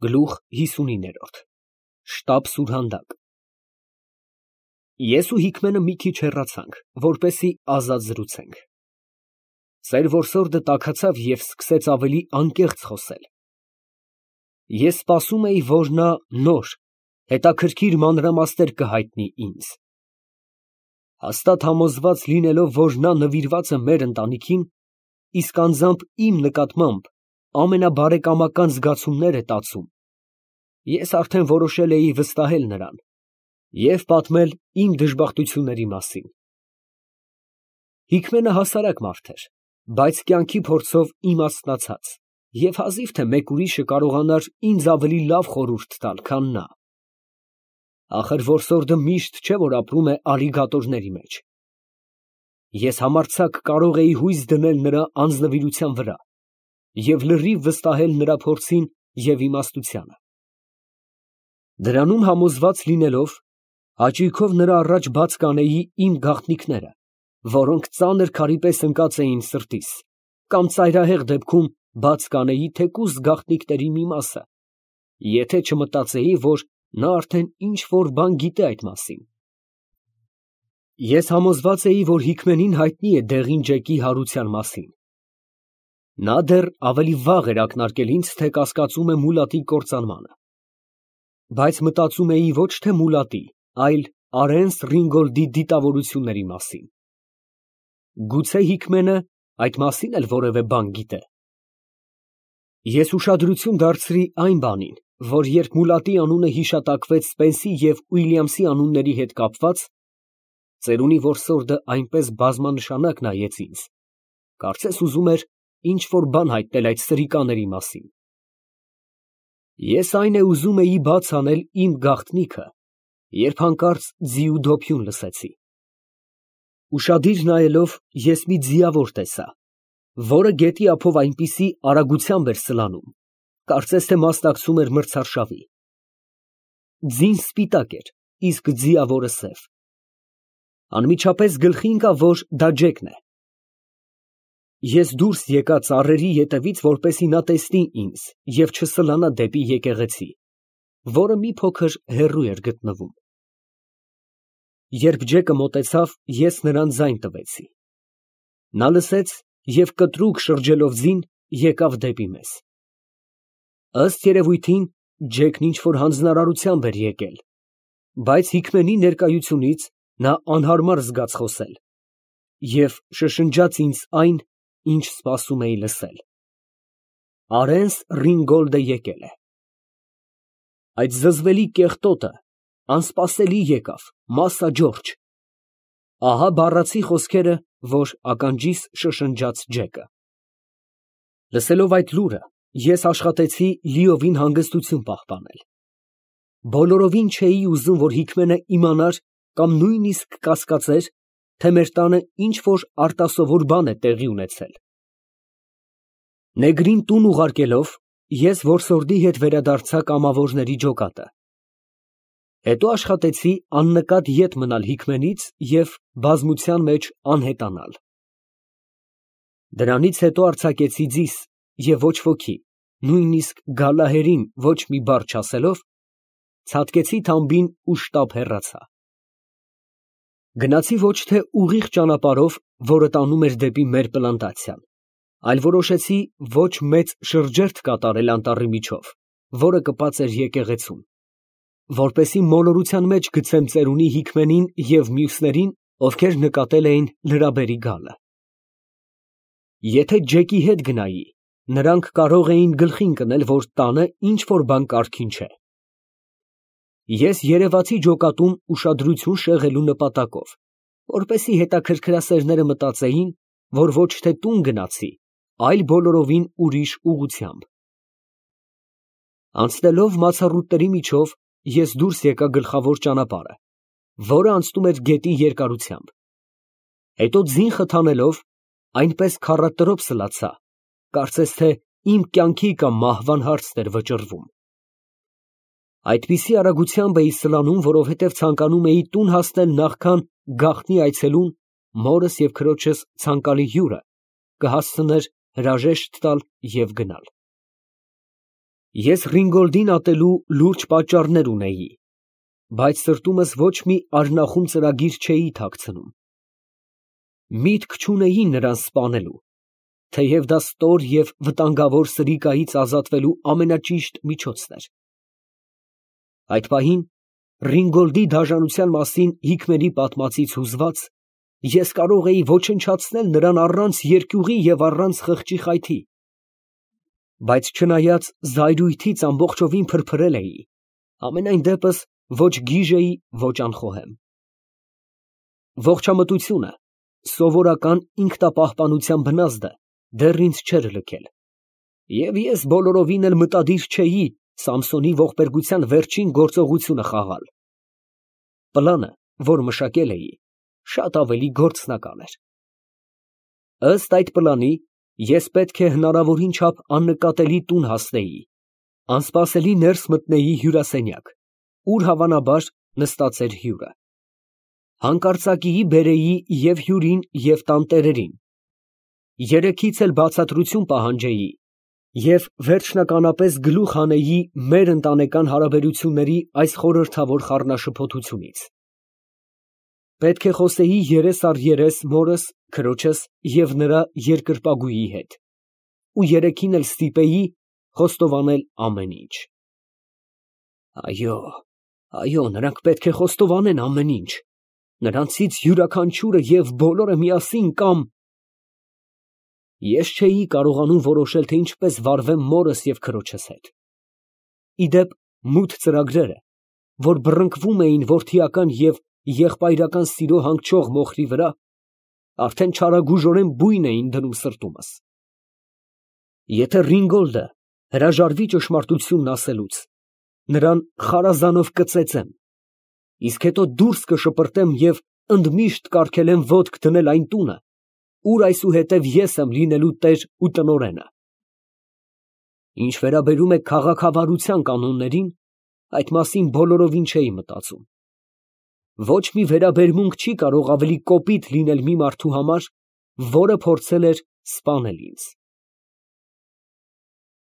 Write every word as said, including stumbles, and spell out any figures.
Գլուխ հիսունինը Շտապ սուրհանդակ։ Ես ու Հիկմենը մի քիչ հեռացանք, որպեսզի ազատ զրուցենք։ Ծեր որսորդը տաքացավ և սկսեց ավելի անկեղծ խոսել։ Ես սպասում էի, որ նա նոր, հետաքրքիր մանրամասներ կհայտնի ինձ։ Հաստատ համոզված լինելով, որ նա նվիրված է մեր ընտանիքին, իսկ անձամբ իմ նկատմամբ ամենաբարեկամական զգացումներ է տածում, ես արդեն որոշել էի վստահել նրան և պատմել իմ դժբախտությունների մասին։ Հիկմենը հասարակ մարդ էր, բայց կյանքի փորձով իմաստնացած, և հազիվ թե մեկ ուրիշը կարողանար ինձ ավելի լավ խորհուրդ տալ, քան նա։ Ախր որսորդը միշտ չէ, որ ապրում է ալիգատորների մեջ։ Ես համարձակ կարող էի հույս դնել նրա անձնվիրության վրա և լրիվ վստահել նրա փորձին և իմաստությանը։ Դրանում համոզված լինելով, հաճույքով նրա առաջ բաց կանեի իմ գաղտնիքները, որոնք ծանր քարի պես ընկած էին սրտիս, կամ ծայրահեղ դեպքում բաց կանեի թեկուզ գաղտնիքների մի մասը, եթե չմտածեի, որ նա արդեն ինչ֊որ բան գիտե այդ մասին։ Ես համոզված էի, որ Հիկմենին հայտնի է դեղին ջեկի հարության մասին։ Նա դեռ ավելի վաղ էր ակնարկել ինձ, թե կասկածում է Մուլատի կործանմանը։ Բայց մտածում էի ոչ թե Մուլատի, այլ Արենս Ռինգոլդի դիտավորությունների մասին։ Գուցե Հիկմենը այդ մասին էլ որևէ բան գիտե։ Ես ուշադրություն դարձրի այն բանին, որ երբ Մուլատի անունը հիշատակվեց Սպենսի և Ուիլյամսի անունների հետ կապված, ծերունի որսորդը այնպես բազմանշանակ նայեց ինձ, կարծես ուզում էր ինչ֊որ բան հայտնել այդ սրիկաների մասին։ Ես այն է ուզում էի բաց անել իմ գաղտնիքը, երբ հանկարծ ձիու դոփյուն լսեցի։ Ուշադիր նայելով, ես մի ձիավոր տեսա, որը գետի ափով այնպիսի արագությամբ էր սլանում, կարծես թե մասնակցում էր մրցարշավի։ Ձին սպիտակ էր, իսկ ձիավորը սև։ Անմիջապես գլխի ընկավ, որ դա Ջեկն է։ Ես դուրս եկա ծառերի ետևից, որպեսզի նա տեսնի ինձ և չսլանա դեպի եկեղեցի, որը մի փոքր հեռու էր գտնվում։ Երբ Ջեկը մոտեցավ, ես նրան ձայն տվեցի։ Նա լսեց և կտրուկ շրջելով ձին, եկավ դեպի մեզ։ Ըստ երևույթին, Ջեկն ինչ֊որ հանձնարարությամբ էր եկել, բայց Հիկմենի ներկայությունից նա անհարմար զգաց խոսել և շշնջաց ինձ այն, ինչ սպասում էի լսել. «Արենս Ռինգոլդը եկել է»։ Այդ զզվելի կեղտոտը անսպասելի եկավ, մասա Ջորջ։ Ահա բառացի խոսքերը, որ ականջիս շշնջաց Ջեկը։ Լսելով այդ լուրը, ես աշխատեցի լիովին հանգստություն պահպանել։ Բոլորովին չէի ուզում, որ Հիկմենը իմանար կամ նույնիսկ կասկածեր, թե մեր տանը ինչ֊որ արտասովոր բան է տեղի ունեցել։ Նեգրին տուն ուղարկելով, ես որսորդի հետ վերադարձա կամավորների ջոկատը։ Հետո աշխատեցի աննկատ ետ մնալ Հիկմենից և բազմության մեջ անհետանալ։ Դրանից հետո արձակեցի ձիզ և ոչ ոքի, նույնիսկ Գալահերին ոչ մի բառ չասելով, ցատկեցի թամբին ու շտապ հեռացա։ Գնացի ոչ թե ուղիղ ճանապարհով, որը տանում էր դեպի մեր պլանտացիան, այլ որոշեցի ոչ մեծ շրջերթ կատարել անտառի միջով, որը կպած էր եկեղեցուն, որպեսզի մոլորության մեջ գցեմ ծերունի Հիկմենին և մյուսներին, ովքեր նկատել էին լրաբերի գալը։ Եթե Ջեկի հետ գնայի, նրանք կարող էին գլխի ընկնել, որ տանը ինչ֊որ բան կարգին չէ։ Ես երևացի ջոկատում ուշադրություն շեղելու նպատակով, որպեսզի հետաքրքրասերները մտածեին, որ ոչ թե տուն գնացի, այլ բոլորովին ուրիշ ուղղությամբ։ Անցնելով մացառուտների միջով, ես դուրս եկա գլխավոր ճանապարհը, որը անցնում էր գետի երկարությամբ։ Հետո ձին խթանելով, այնպես քառատրոփ սլացա, կարծես թե իմ կյանքի կամ մահվան հարցն էր վճռվում։ Այդպիսի արագությամբ էի սլանում, որովհետև ցանկանում էի տուն հասնել նախքան գաղտնի այցելուն մորս և քրոջս ցանկալի հյուրը կհասցներ հրաժեշտ տալ և գնալ։ Ես Ռինգոլդին ատելու լուրջ պատճառներ ունեի, բայց սրտումս ոչ մի արնախում ծրագիր չէի թաքցնում։ Միտք չունեի նրան սպանելու, թեև դա ստոր և վտանգավոր սրիկայից ազատվելու ամենաճիշտ միջոցն էր։ Այդ պահին Ռինգոլդի դաժանության մասին Հիկմենի պատմածից հուզված, ես կարող էի ոչնչացնել նրան առանց երկյուղի և առանց խղճի խայթի, բայց չնայած զայրույթից ամբողջովին փրփրել էի, համենայն դեպս ոչ գիժ էի, ոչ անխոհեմ։ Ողջամտությունը, սովորական ինքնապահպանության բնազդը դեռ ինձ չէր լքել, և ես բոլորովին էլ մտադիր չէի Սամսոնի ողբերգության վերջին գործողությունը խաղալ։ Պլանը, որ մշակել էի, շատ ավելի գործնական էր։ Ըստ այդ պլանի, ես պետք է հնարավորին չափ աննկատելի տուն հասնեի, անսպասելի ներս մտնեի հյուրասենյակ, ուր հավանաբար նստած էր հյուրը։ Հանկարծակիի բերեի և հյուրին, և տանտերերին, երեքից էլ բացատրություն պահանջեի և վերջնականապես գլուխ հանեի մեր ընտանեկան հարաբերությունների այս խորհրդավոր խառնաշփոթությունից։ Պետք է խոսեի երես առ երես մորս, քրոջս և նրա երկրպագուի հետ, ու երեքին էլ ստիպեի խոստովանել ամեն ինչ։ Այո, այո, նրանք պետք է խոստովանեն ամեն ինչ, նրանցից յուրաքանչյուրը և բոլորը միասին կամ… Ես չէի կարողանում որոշել, թե ինչպես վարվեմ մորս և քրոջս հետ։ Ի դեպ, մութ ծրագրերը, որ բռնկվում էին որդիական և եղբայրական սիրո հանգչող մոխրի վրա, արդեն չարագույժորեն բույն էին դնում սրտումս։ Եթե Ռինգոլդը հրաժարվի ճշմարտությունն ասելուց, նրան խարազանով կծեծեմ, իսկ հետո դուրս կշպրտեմ և ընդմիշտ կարգել եմ ոտք դնել այն տունը, ուր այսուհետև ես եմ լինելու տեր ու տնօրենը։ Ինչ վերաբերում է քաղաքավարության կանոններին, այդ մասին բոլորովին չէի մտածում։ Ոչ մի վերաբերմունք չի կարող ավելի կոպիտ լինել մի մարդու համար, որը փորձել էր սպանել ինձ։